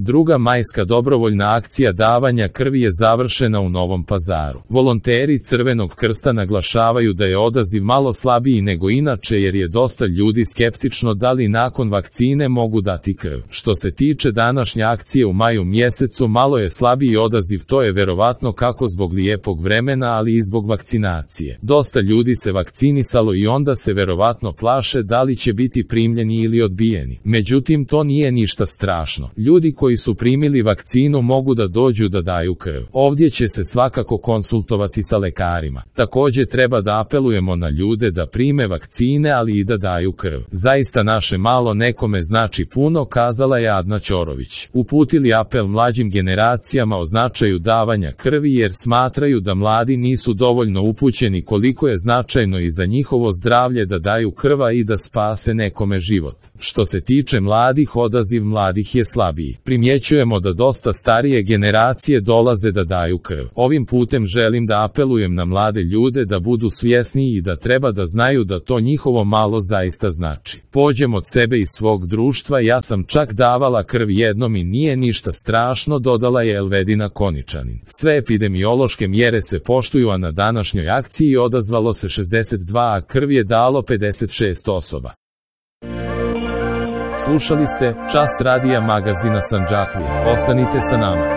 Druga majska dobrovoljna akcija davanja krvi je završena u Novom Pazaru. Volonteri Crvenog krsta naglašavaju da je odaziv malo slabiji nego inače jer je dosta ljudi skeptično da li nakon vakcine mogu dati krv. Što se tiče današnje akcije u maju mjesecu, malo je slabiji odaziv, to je verovatno kako zbog lijepog vremena, ali i zbog vakcinacije. Dosta ljudi se vakcinisalo i onda se verovatno plaše da li će biti primljeni ili odbijeni. Međutim, to nije ništa strašno. Ljudi koji su primili vakcinu mogu da dođu da daju krv. Ovdje će se svakako konsultovati sa lekarima. Također treba da apelujemo na ljude da prime vakcine, ali i da daju krv. Zaista naše malo nekome znači puno, kazala je Adna Ćorović. Uputili apel mlađim generacijama o značaju davanja krvi jer smatraju da mladi nisu dovoljno upućeni koliko je značajno i za njihovo zdravlje da daju krva i da spase nekome život. Što se tiče mladih, odaziv mladih je slabiji. Primjećujemo da dosta starije generacije dolaze da daju krv. Ovim putem želim da apelujem na mlade ljude da budu svjesniji i da treba da znaju da to njihovo malo zaista znači. Pođem od sebe i svog društva, ja sam čak davala krv jednom i nije ništa strašno, dodala je Elvedina Koničanin. Sve epidemiološke mjere se poštuju, a na današnjoj akciji odazvalo se 62, a krv je dalo 56 osoba. Slušali ste Čas radija magazina Sandžaklija. Ostanite sa nama.